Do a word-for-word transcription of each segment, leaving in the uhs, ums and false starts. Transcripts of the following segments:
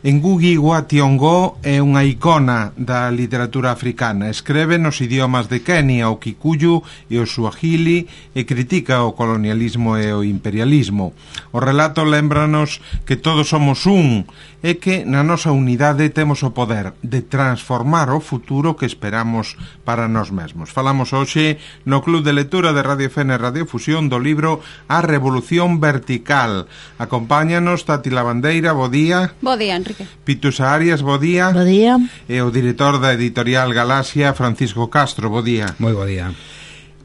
Ngugi wa Thiong'o é unha icona da literatura africana. Escreve nos idiomas de Kenia, o Kikuyu e o Swahili, e critica o colonialismo e o imperialismo. O relato lembranos que todos somos un e que na nosa unidade temos o poder de transformar o futuro que esperamos para nós mesmos. Falamos hoxe no Club de Lectura de Radio F N Radiofusión do libro A Revolución Vertical. Acompáñanos Tati Lavandeira, bo día. Bo día, Enrique. Pitusa Arias, bo día. Bo día. E o director da editorial Galaxia, Francisco Castro, bo día. Moi bo día.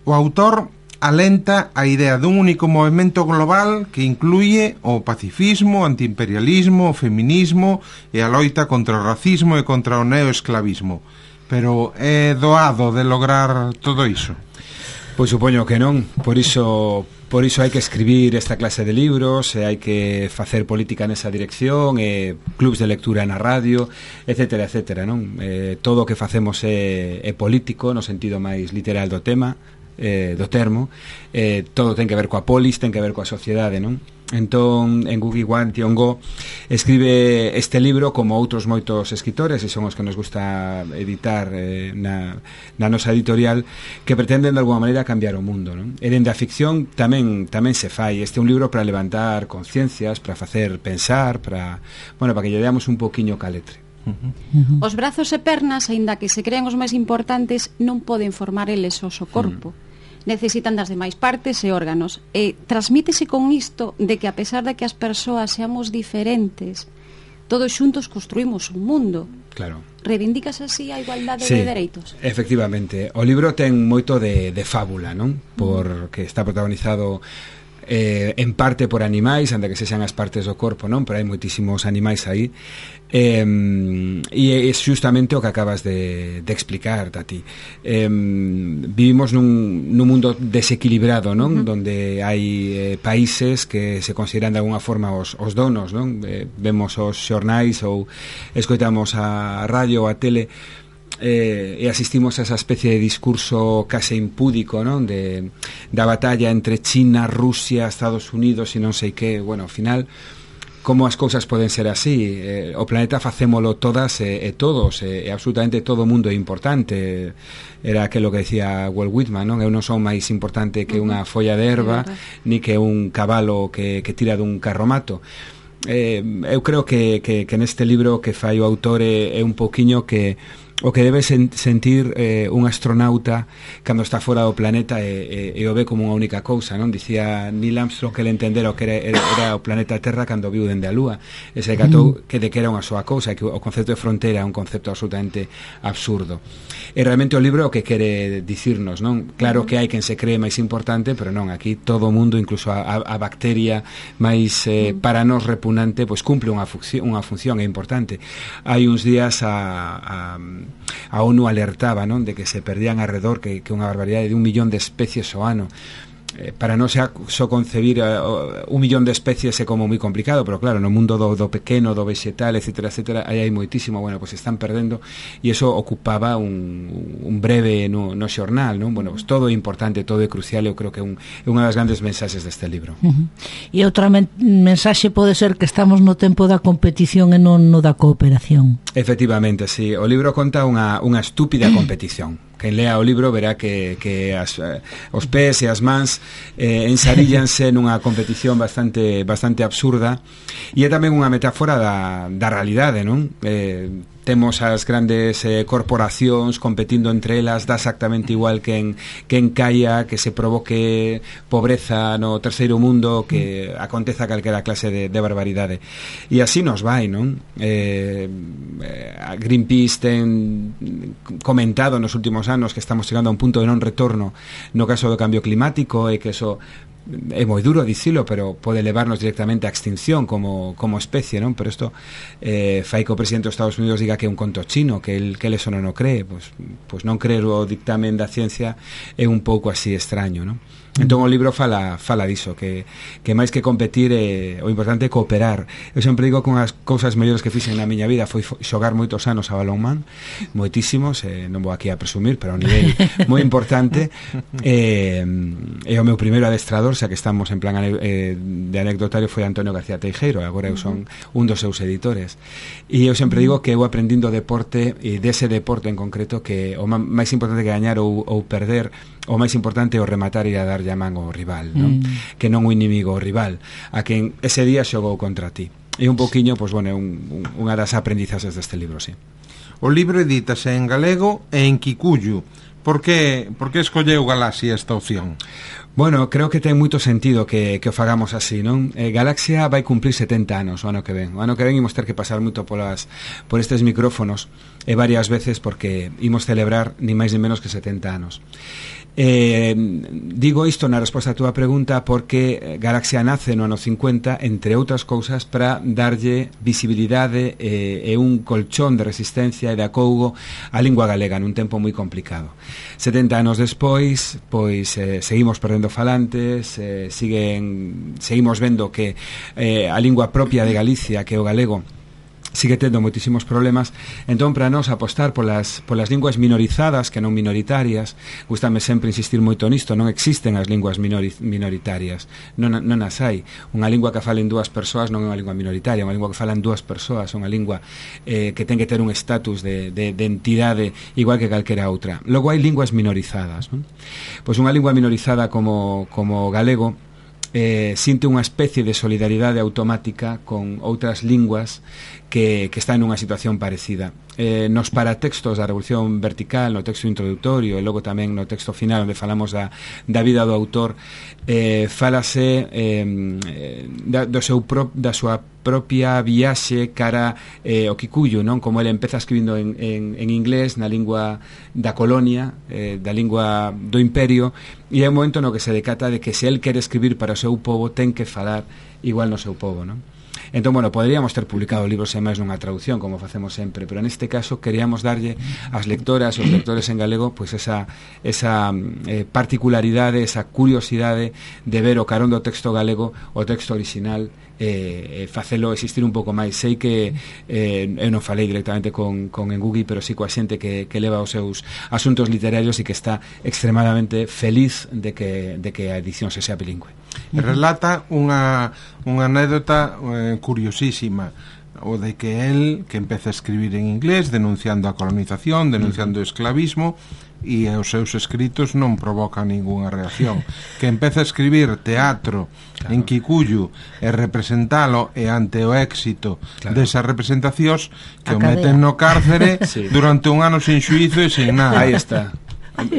O autor alenta a idea dun único movimento global que incluye o pacifismo, o antiimperialismo, o feminismo e a loita contra o racismo e contra o neoesclavismo. Pero é doado de lograr todo iso? Pois supoño que non, por iso por iso hai que escribir esta clase de libros, e hai que facer política nesa dirección, e clubs de lectura na radio, etcétera, etcétera, non? Eh, todo o que facemos é, é político no sentido máis literal do tema, eh, do termo, eh, todo ten que ver coa polis, ten que ver coa sociedade, non? Entón, Ngugi wa Thiong'o escribe este libro como outros moitos escritores, e son os que nos gusta editar eh, na, na nosa editorial, que pretenden de alguma maneira cambiar o mundo, non? E dende a ficción tamén tamén se fai. Este é un libro para levantar conciencias, para facer pensar, para, bueno, para que lle deamos un poquiño caletre. Uh-huh. Uh-huh. Os brazos e pernas, aínda que se crean os máis importantes, non poden formar eles o so corpo. Uh-huh. Necesitan das demais partes e órganos, e transmítese con isto de que a pesar de que as persoas seamos diferentes, todos xuntos construímos un mundo. Claro. Reivindicas así a igualdade sí, de dereitos? Efectivamente, o libro ten moito de, de fábula, non? Porque está protagonizado eh, en parte por animais, anda que se sean as partes do corpo, non? Pero hai moitísimos animais aí, eh, e é justamente o que acabas de, de explicar, Tati. Eh, vivimos nun, nun mundo desequilibrado, non? Uh-huh. Donde hai eh, países que se consideran de alguna forma os, os donos, non? Eh, vemos os xornais ou escoitamos a radio ou a tele, Eh, e asistimos a esa especie de discurso case impúdico, non? De, da batalla entre China, Rusia, Estados Unidos e non sei que. Bueno, ao final, como as cousas poden ser así? Eh, o planeta facémolo todas e, e todos, e, e absolutamente todo o mundo é importante. Era aquilo que decía Walt Whitman, non? Eu non son máis importante que unha folla de erva, ni que un cabalo que, que tira dun carromato. Eh, eu creo que, que, que neste libro que fai o autor é, é un pouquiño que o que debe sen, sentir eh, un astronauta cando está fora do planeta e, e, e o ve como unha única cousa, non? Dicía Neil Armstrong que ele entendera o que era, era, era o planeta Terra cando viu dende a Lúa, e se catou que de que era unha soa cousa, que o concepto de fronteira é un concepto absolutamente absurdo. E realmente o libro o que quere dicirnos, non? Claro que hai quen se cree máis importante, pero non, aquí todo o mundo, incluso a, a bacteria máis eh, para nós repugnante, pois cumple unha función, unha función é importante. Hai uns días a, a a ONU alertaba, non, de que se perdían alrededor que, que unha barbaridade de un millón de especies ao ano. Eh, para non xa só concebir uh, un millón de especies é como moi complicado, pero claro, no mundo do, do pequeno, do vegetal, etcétera, etcétera, aí hai moitísimo, bueno, pues están perdendo, e iso ocupaba un, un breve no, no xornal, non? Bueno, pues todo é importante, todo é crucial, eu creo que é, un, é unha das grandes mensaxes deste libro. Uh-huh. E outra men- mensaxe pode ser que estamos no tempo da competición e non no da cooperación. Efectivamente, sí, o libro conta unha, unha estúpida competición. Quen lea o libro verá que, que as, eh, os pés e as mans eh, ensaríllanse nunha competición bastante bastante absurda, e é tamén unha metáfora da, da realidade, non? Eh, temos as grandes eh, corporacións competindo entre elas, dá exactamente igual que en, que en caia, que se provoque pobreza no terceiro mundo, que aconteza calquera clase de, de barbaridade, e así nos vai, non? Eh, eh, Greenpeace ten comentado nos últimos anos que estamos chegando a un punto de non retorno no caso do cambio climático, e que eso é moi duro dicilo, pero pode levarnos directamente á extinción como, como especie, non? Pero isto eh, fai que o presidente dos Estados Unidos diga que é un conto chino, que el, que el eso non o cree. Pois, pois non creer o dictamen da ciencia é un pouco así extraño, non? Entón o libro fala fala diso, que, que máis que competir eh, o importante é cooperar. Eu sempre digo que unhas cousas mellores que fixen na miña vida foi xogar moitos anos a balonmán, moitísimos, eh, non vou aquí a presumir, pero a un nivel moi importante. Eh, e o meu primeiro adestrador, xa que estamos en plan eh, de anecdotario, foi Antonio García Teijeiro, agora eu son un dos seus editores. E eu sempre digo que eu aprendindo deporte, e dese deporte en concreto, que o máis importante que gañar ou, ou perder, o máis importante é o rematar e a dar llamán ao rival, non? Mm. Que non o inimigo, o rival, a quen ese día xogou contra ti. E un poquinho, pois, bueno, un, un, unha das aprendizaxes deste libro, sí. O libro edítase en galego e en kikuyu. Por que, por que escolleu Galaxia esta opción? Bueno, creo que ten moito sentido que, que o fagamos así, non? Eh, Galaxia vai cumplir setenta anos o ano que ven. O ano que ven imos ter que pasar moito polas, por estes micrófonos e varias veces porque imos celebrar ni máis ni menos que setenta anos. Eh, digo isto na resposta a túa pregunta porque Galaxia nace no ano cincuenta, entre outras cousas, para darlle visibilidade e, e un colchón de resistencia e de acougo á lingua galega nun tempo moi complicado. setenta anos despois, pois eh, seguimos perdendo falantes, eh, siguen, seguimos vendo que eh, a lingua propia de Galicia, que é o galego, sigue tendo moitísimos problemas. Entón, para nós apostar polas, polas linguas minorizadas, que non minoritarias, gustame sempre insistir moito nisto, non existen as linguas minori, minoritarias, non, non as hai. Unha lingua que falen dúas persoas non é unha lingua minoritaria, unha lingua que falan dúas persoas, unha lingua eh, que ten que ter un estatus de, de, de entidade igual que calquera outra. Logo hai linguas minorizadas, non? Pois unha lingua minorizada como, como galego eh, sinte unha especie de solidaridade automática con outras linguas que, que está nunha situación parecida. Eh, nos paratextos da Revolución Vertical, no texto introductorio e logo tamén no texto final onde falamos da, da vida do autor, eh, falase eh, da, do seu pro, da súa propia viaxe cara eh, o kikuyu, non? Como ele empeza escribindo en, en, en inglés, na lingua da colonia, eh, da lingua do imperio, e é un momento no que se decata de que se el quere escribir para o seu povo ten que falar igual no seu povo, non? Entón, bueno, poderíamos ter publicado libros en máis nunha traducción, como facemos sempre, pero neste caso queríamos darlle ás lectoras e aos lectores en galego pois esa, esa eh, particularidade, esa curiosidade de ver o carón do texto galego, o texto original, e eh, facelo existir un pouco máis. Sei que eh, eu non falei directamente con, con Engugui, pero sí coa xente que, que leva os seus asuntos literarios e que está extremadamente feliz de que, de que a edición se sea bilingüe. Relata unha, unha anécdota eh, curiosísima, o de que él, que empeza a escribir en inglés denunciando a colonización, denunciando o esclavismo, e os seus escritos non provocan ningunha reacción, que empeza a escribir teatro claro. en kikuyu e representalo, e ante o éxito claro. desas representacións que o meten no cárcere sí. durante un ano sin xuízo e sin nada. Aí está.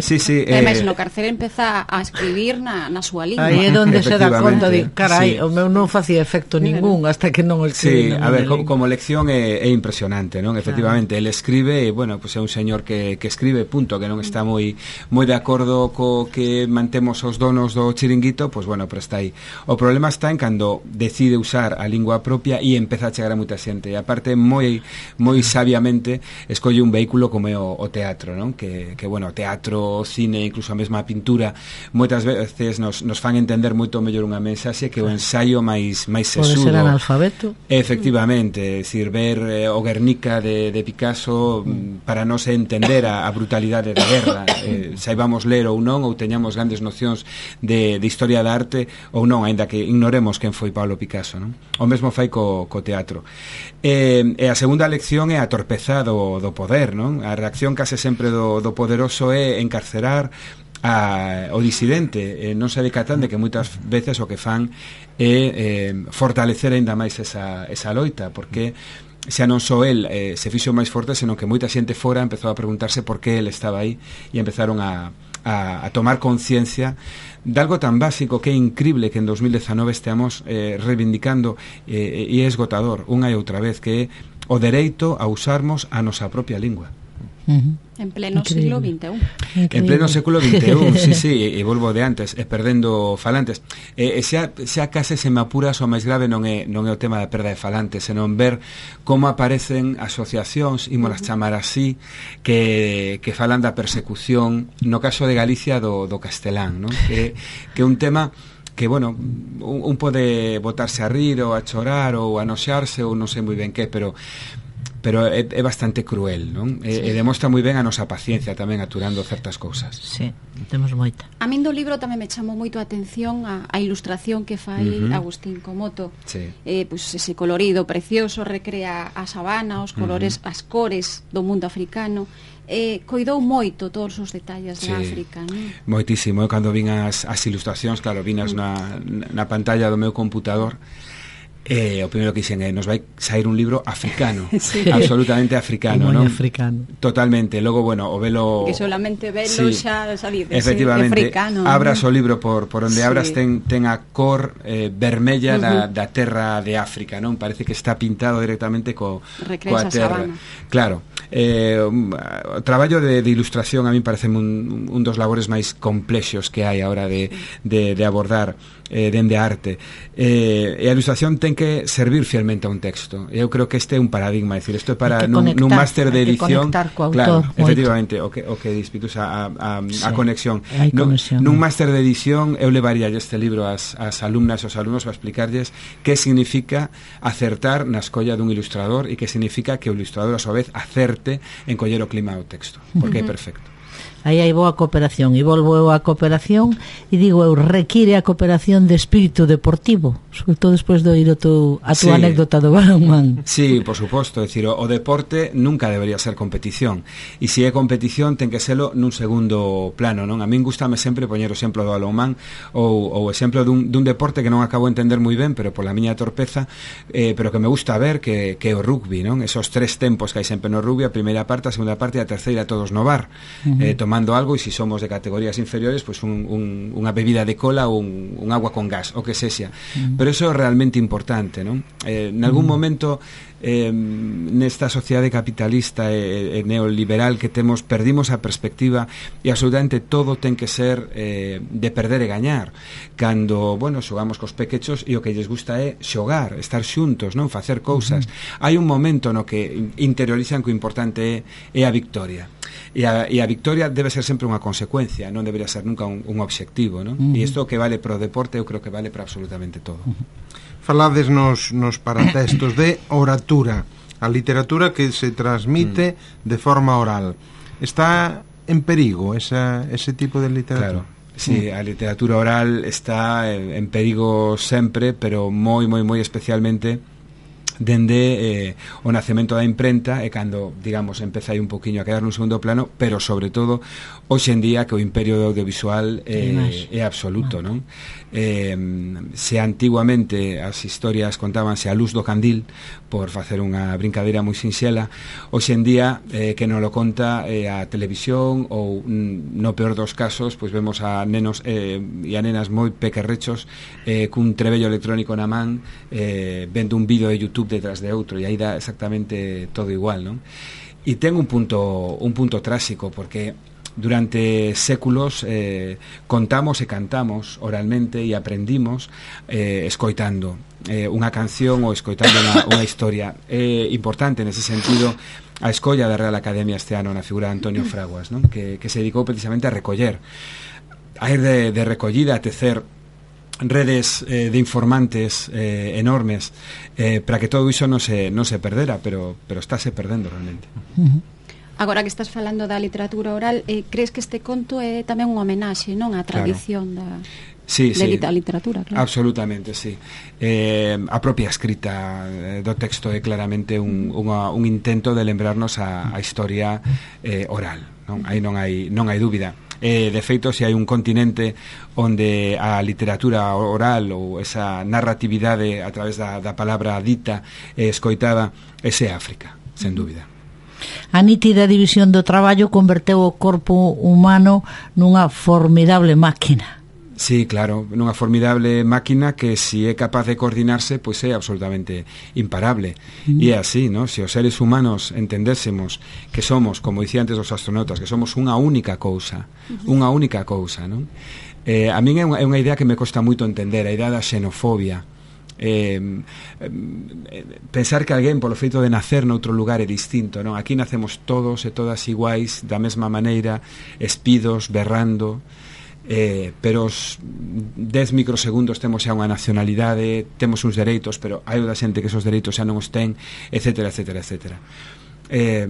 Sí, sí, eh, Ademais, no cárcere empeza a escribir na, na súa lingua. Aí é onde se dá conta de, carai, sí. o meu non facía efecto ningún hasta que non o escribí. Sí, a ver, como, como lección é, é impresionante, non? Efectivamente, claro. el escribe, e, bueno, pues é un señor que, que escribe, punto, que non está moi moi de acordo co que mantemos os donos do chiringuito, pues bueno, pero está aí. O problema está en cando decide usar a lingua propia e empeza a chegar a moita xente, e aparte moi moi sabiamente escolle un vehículo como é o, o teatro, non? Que, que bueno, o teatro, o cine, incluso a mesma pintura moitas veces nos, nos fan entender moito mellor unha mensaxe que o ensaio máis máis sesudo. Pode ser analfabeto. Efectivamente, é dicir, ver eh, o Guernica de, de Picasso mm. para non se entender a, a brutalidade da guerra, eh, saibamos ler ou non, ou teñamos grandes nocións de, de historia da arte ou non, aínda que ignoremos quen foi Pablo Picasso, non? O mesmo fai co, co teatro. E, e a segunda lección é a torpeza do, do poder, non? A reacción case sempre do, do poderoso é encarcerar a, o disidente, eh, non se decatan de que moitas veces o que fan é eh, fortalecer aínda máis esa, esa loita, porque xa non só el eh, se fixo máis forte, senón que moita xente fora empezou a preguntarse por que el estaba aí e empezaron a, a, a tomar conciencia de algo tan básico que é increíble que en dos mil dezanove esteamos eh, reivindicando eh, e é esgotador unha e outra vez, que é o dereito a usarmos a nosa propia lingua. Uh-huh. En pleno Increíble. siglo vinte e un. Increíble. En pleno século vinte e un, sí, sí, e volvo de antes, e perdendo falantes. E, e xa, xa case se me apuras o máis grave non é, non é o tema da perda de falantes, senón ver como aparecen asociacións, ímolas chamar así, que, que falan da persecución, no caso de Galicia do, do castelán, non? Que, que é un tema que, bueno, un, un pode botarse a rir ou a chorar ou a noxearse ou non sei moi ben que, pero pero é, é bastante cruel, non? Sí. E, e demostra moi ben a nosa paciencia tamén aturando certas cousas. Sí, temos moita. A min do libro tamén me chamou moito a atención a, a ilustración que fai uh-huh. Agustín Comoto. Sí. Eh, pues ese colorido precioso recrea a sabana, os colores, uh-huh. as cores do mundo africano. Eh, coidou moito todos os detalles sí. de África, non? Moitísimo. Eu cando vin as, as ilustracións, claro, vinas uh-huh. na, na pantalla do meu computador, Eh, o primeiro que dixen é nos vai sair un libro africano, sí. absolutamente africano, non? africano. Totalmente. Logo, bueno, o velo que solamente velo sí. xa, xa dices, efectivamente, africano. Abras ¿no? o libro por por onde sí. abras ten ten a cor eh, vermella uh-huh. da, da terra de África, non? Parece que está pintado directamente co coa terra. Claro. Eh, o traballo de, de ilustración a mí parece un, un dos labores máis complexos que hai a hora de, de, de abordar eh, dende a arte. Eh, e a ilustración ten que servir fielmente a un texto. Eu creo que este é un paradigma, é dicir, isto é para nun, conectar, nun máster de edición, claro, autor, efectivamente, o que o que dispitus a a, a, sí, a conexión. Nun, nun máster de edición eu levaría este libro ás as alumnas e aos alumnos para explicarlles que significa acertar na escolla dun ilustrador e que significa que o ilustrador a súa vez acerte en coller o clima do texto, porque uh-huh. é perfecto. Aí hai boa cooperación, e volvo eu a cooperación e digo eu, require a cooperación de espírito deportivo, sobre todo despois de oír o tu, a tu sí. anécdota do balonmán. Sí, por suposto, é dicir, o, o deporte nunca debería ser competición, e se é competición ten que serlo nun segundo plano, non? A min gustame sempre poñer o exemplo do balonmán ou o exemplo dun, dun deporte que non acabo de entender moi ben, pero pola miña torpeza, eh, pero que me gusta ver, que, que é o rugby, non? Esos tres tempos que hai sempre no rugby, a primeira parte, a segunda parte e a terceira todos no bar, uh-huh. eh, tomando algo, e se somos de categorías inferiores, pues un, un, unha bebida de cola ou un, un agua con gas, o que sexa. Mm. Pero eso é realmente importante, non? Eh, en algún mm. momento eh, nesta sociedade capitalista e, e neoliberal que temos, perdimos a perspectiva e absolutamente todo ten que ser eh, de perder e gañar. Cando, bueno, xogamos cos pequechos e o que lles gusta é xogar, estar xuntos, non? Facer cousas. Mm. Hai un momento no que interiorizan que o importante é, é a victoria. E a, e a victoria debe ser sempre unha consecuencia, non debería ser nunca un, un obxectivo, non? Uh-huh. E isto que vale para o deporte, eu creo que vale para absolutamente todo. Uh-huh. Falades nos, nos paratextos de oratura, a literatura que se transmite uh-huh. de forma oral. Está en perigo esa, ese tipo de literatura? Claro. Sí, a literatura oral está en, en perigo sempre, pero moi, moi, moi especialmente dende eh, o nacemento da imprenta e cando, digamos, empeza aí un poquinho a quedar nun segundo plano, pero sobre todo hoxe en día que o imperio do audiovisual eh, é absoluto, non? Eh, se antiguamente as historias contábanse a luz do candil, por facer unha brincadeira moi sinxela, hoxe en día eh, que non lo conta eh, a televisión ou no peor dos casos, pois vemos a nenos eh, e a nenas moi pequerrechos eh, cun trebello electrónico na man eh, vendo un vídeo de YouTube detrás de outro, e aí dá exactamente todo igual, non? E ten un punto un punto tráxico, porque durante séculos eh, contamos e cantamos oralmente e aprendimos eh, escoitando eh, unha canción ou escoitando unha, unha historia. É importante nese sentido a escolla da Real Academia este ano na figura de Antonio Fraguas, non? Que, que se dedicou precisamente a recoller, a ir de, de recollida, a tecer redes eh, de informantes eh, enormes eh, para que todo iso non se, non se perdera, pero, pero estáse perdendo realmente. Uh-huh. Agora que estás falando da literatura oral, eh, crees que este conto é tamén unha homenaxe, non, á tradición claro. da sí, de sí, a literatura, claro. Absolutamente, sí. Eh, a propia escrita eh, do texto é claramente un, unha, un intento de lembrarnos a, a historia eh, oral, non? Aí non hai non hai dúbida. Eh, de feito, se hai un continente onde a literatura oral ou esa narratividade a través da, da palabra dita e escoitada, ese é África, sen dúbida. A nítida división do traballo converteu o corpo humano nunha formidable máquina. Sí, claro, nunha formidable máquina que se é capaz de coordinarse, pois é absolutamente imparable. Mm. E é así, ¿no? Se os seres humanos entendésemos que somos, como dicía antes os astronautas, que somos unha única cousa, uh-huh. unha única cousa, ¿no? Eh, a min é unha, é unha idea que me costa moito entender, a idea da xenofobia. Eh, eh, pensar que alguén polo feito de nacer noutro lugar é distinto, non? Aquí nacemos todos e todas iguais, da mesma maneira, espidos, berrando. Eh, pero os dez microsegundos temos xa unha nacionalidade, temos uns dereitos, pero hai outra xente que esos dereitos xa non os ten, etcétera, etcétera, etcétera. Eh,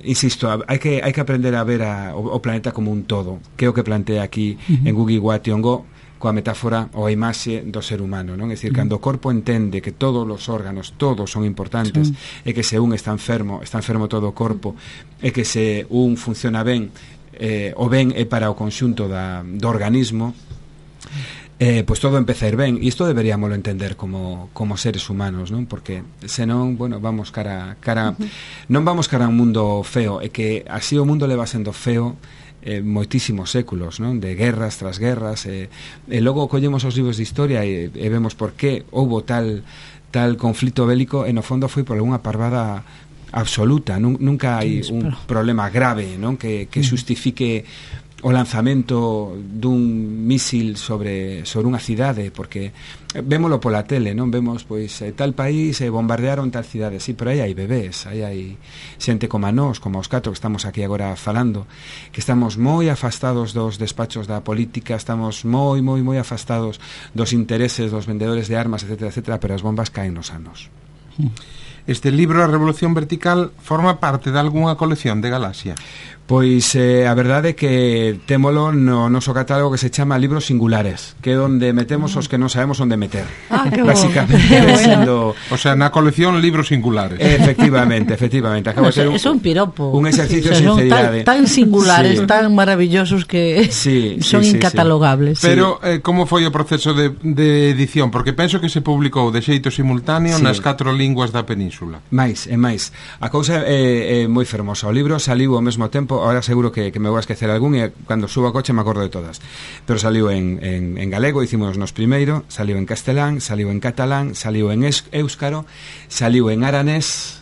insisto, hai que, hai que aprender a ver a, o, o planeta como un todo, que é o que plantea aquí uh-huh. en Ngugi wa Thiong'o, coa metáfora ou a imaxe do ser humano, non? É dicir, uh-huh. cando o corpo entende que todos os órganos, todos son importantes, uh-huh. e que se un está enfermo, está enfermo todo o corpo, e que se un funciona ben, Eh, o ben é para o conxunto da, do organismo, eh, pois todo empeza a ir ben, e isto deberíamoslo entender como, como seres humanos, non? Porque senón, bueno, vamos cara, cara uh-huh. non vamos cara a un mundo feo, e que así o mundo leva sendo feo eh, moitísimos séculos, non? De guerras tras guerras, e, e logo collemos os libros de historia e, e vemos por que houbo tal tal conflito bélico, e no fondo foi por algunha parvada absoluta, nun, nunca hai un problema grave, non? Que, que xustifique o lanzamento dun mísil sobre sobre unha cidade, porque vémolo pola tele, non? Vemos, pois, eh, tal país eh, bombardearon tal cidade, sí, pero aí hai bebés, aí hai xente como a nós, como os catro que estamos aquí agora falando, que estamos moi afastados dos despachos da política, estamos moi, moi, moi afastados dos intereses dos vendedores de armas, etcétera, etcétera, pero as bombas caen nos anos. Este libro, A Revolución Vertical, forma parte de algunha colección de Galaxia? Pois eh, a verdade é que témolo no noso catálogo que se chama Libros Singulares, que é onde metemos os que non sabemos onde meter. Ah, que básicamente, sendo... O sea, na colección Libros Singulares. Efectivamente, efectivamente. Acaba no, de ser un, es un piropo. Un exercicio sí, de sinceridade. Tan, tan singulares, sí. tan maravillosos que sí, son sí, sí, incatalogables. Sí. Pero, eh, como foi o proceso de, de edición? Porque penso que se publicou de xeito simultáneo sí. nas catro linguas da península. Mais, e máis. A cousa é, é moi fermosa. O libro saliu ao mesmo tempo, ahora seguro que, que me vou a esquecer algún, e cando subo a coche me acordo de todas. Pero saliu en, en, en galego, hicimos nos primeiro, saliu en castelán, saliu en catalán, saliu en éuscaro, saliu en aranés,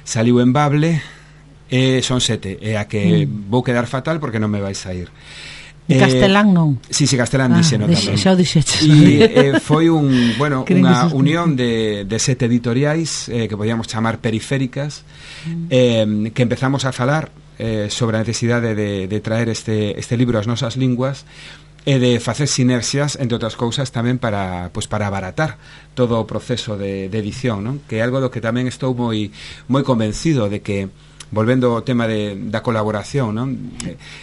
saliu en bable, e son sete, e a que mm. vou quedar fatal porque non me vais a ir. Eh, castelán non. Sí, sí, castelán ah, dixeno tamén. Xa o dixeches. E eh, foi un, bueno, unha unión de, de sete editoriais eh, que podíamos chamar periféricas, mm. eh, que empezamos a falar eh, sobre a necesidade de, de traer este, este libro ás nosas linguas e de facer sinerxias, entre outras cousas, tamén para, pues, para abaratar todo o proceso de, de edición, non? Que é algo do que tamén estou moi moi convencido de que, volvendo ao tema de, da colaboración, non?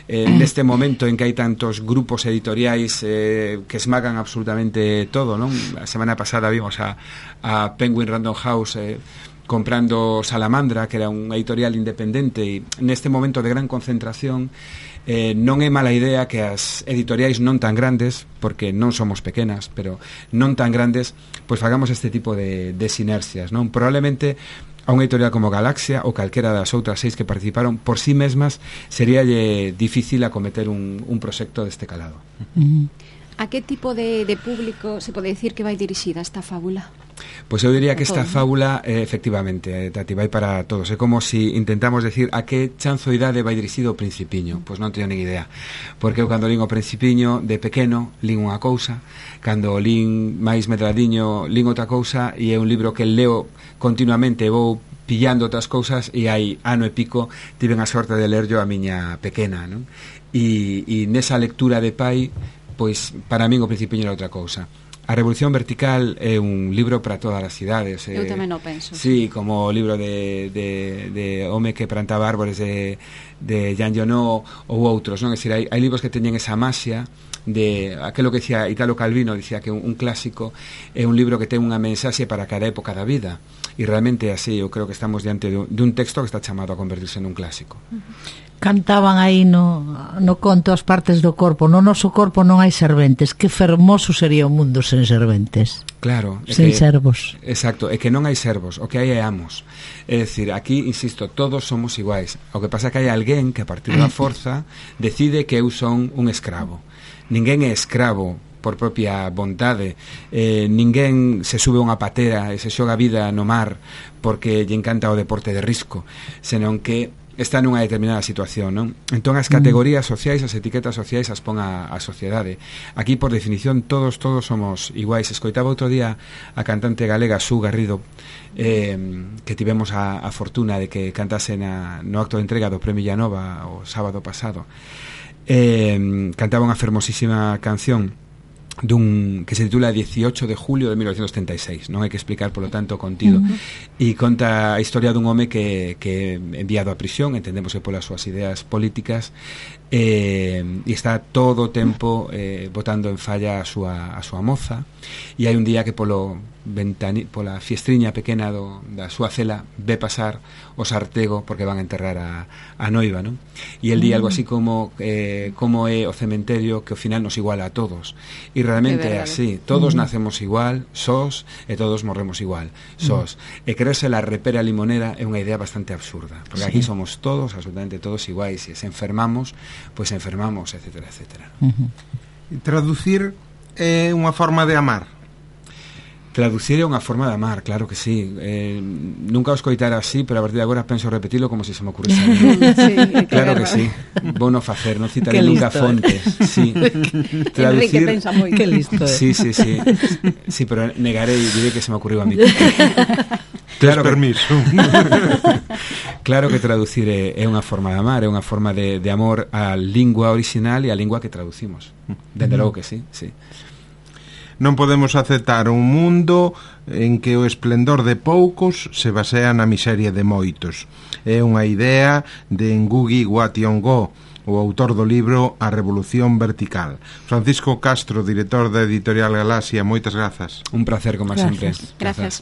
Eh, neste momento en que hai tantos grupos editoriais eh, que esmagan absolutamente todo, non? A semana pasada vimos a, a Penguin Random House eh, comprando Salamandra, que era un editorial independente, e neste momento de gran concentración eh, non é mala idea que as editoriais non tan grandes, porque non somos pequenas, pero non tan grandes, pois fagamos este tipo de, de sinerxias, non? Probablemente a unha editorial como Galaxia ou calquera das outras seis que participaron por sí mesmas seríalle difícil acometer un, un proxecto deste calado. Uh-huh. A que tipo de, de público se pode dicir que vai dirixida esta fábula? Pois eu diría que esta fábula eh, efectivamente, eh, Tati, vai para todos. É como si intentamos decir a que chanzoidade vai dirixido o Principiño. Pois non teño nin idea, porque eu cando lín o Principiño de pequeno lín unha cousa, cando lín máis medradiño lín outra cousa, e é un libro que leo continuamente, vou pillando outras cousas, e hai ano e pico tiven a sorte de ler yo a miña pequena, non? E, e nesa lectura de pai, pois para min o Principiño era outra cousa. A Revolución Vertical é un libro para todas as idades. Eu eh, tamén o penso. Sí, como o libro de, de, de Home que plantaba árbores de, de Jean Genot ou outros, non? É dicir, hai, hai libros que teñen esa maxia de aquilo que dicía Italo Calvino, dicía que un, un clásico é un libro que ten unha mensaxe para cada época da vida, e realmente así eu creo que estamos diante de un, de un texto que está chamado a convertirse nun clásico. Uh-huh. Cantaban aí no, no conto as partes do corpo. No noso corpo non hai serventes. Que fermoso sería o mundo sen serventes. Claro, sen que, servos. Exacto, é que non hai servos, o que hai é amos. É dicir, aquí, insisto, todos somos iguais. O que pasa é que hai alguén que a partir da forza decide que eu son un escravo. Ninguén é escravo por propia vontade. Eh, ninguén se sube a unha patera e se xoga a vida no mar porque lle encanta o deporte de risco, senón que está nunha determinada situación, non? Entón as categorías sociais, as etiquetas sociais as pon a, a sociedade. Aquí, por definición, todos todos somos iguais. Escoitaba outro día a cantante galega Su Garrido, eh, que tivemos a, a fortuna de que cantase na, no acto de entrega do Premio Llanova o sábado pasado. Eh, cantaba unha fermosísima canción dun que se titula dieciocho de julio de mil novecientos setenta e seis, non hai que explicar, polo tanto, contido. Uh-huh. E conta a historia dun home que, que enviado a prisión, entendemos que polas súas ideas políticas, eh, e está todo o tempo eh, botando en falla a súa, a súa moza, e hai un día que polo ventani, pola fiestriña pequena do, da súa cela ve pasar o sartego porque van a enterrar a, a noiva, non? E el di algo así como eh, como é o cementerio que ao final nos iguala a todos, e realmente é así, todos uh-huh. nacemos igual, sós, e todos morremos igual, sós, uh-huh. e creerse la repera limonera é unha idea bastante absurda, porque sí. aquí somos todos, absolutamente todos iguais, e se enfermamos, pois pues enfermamos, etcétera, etcétera. Uh-huh. Traducir é unha forma de amar. Traducir é unha forma de amar, claro que sí. Eh, nunca os coitara así, pero a partir de agora penso repetilo como se si se me ocurriese a mí. Sí, claro que sí. Vou no facer, non citaré nunca fontes. Sí. Traducir... Enrique pensa moi. Que listo. Sí, sí, sí. Sí, pero negarei e diré que se me ocurriu a mí. Claro que... permiso. Claro que traducir é, é unha forma de amar, é unha forma de, de amor á lingua original e á lingua que traducimos. Dende logo que sí, sí. Non podemos aceptar un mundo en que o esplendor de poucos se basea na miseria de moitos. É unha idea de Ngugi wa Thiong'o, o autor do libro A Revolución Vertical. Francisco Castro, director da editorial Galaxia, moitas grazas. Un placer, como sempre. Gracias. Gracias.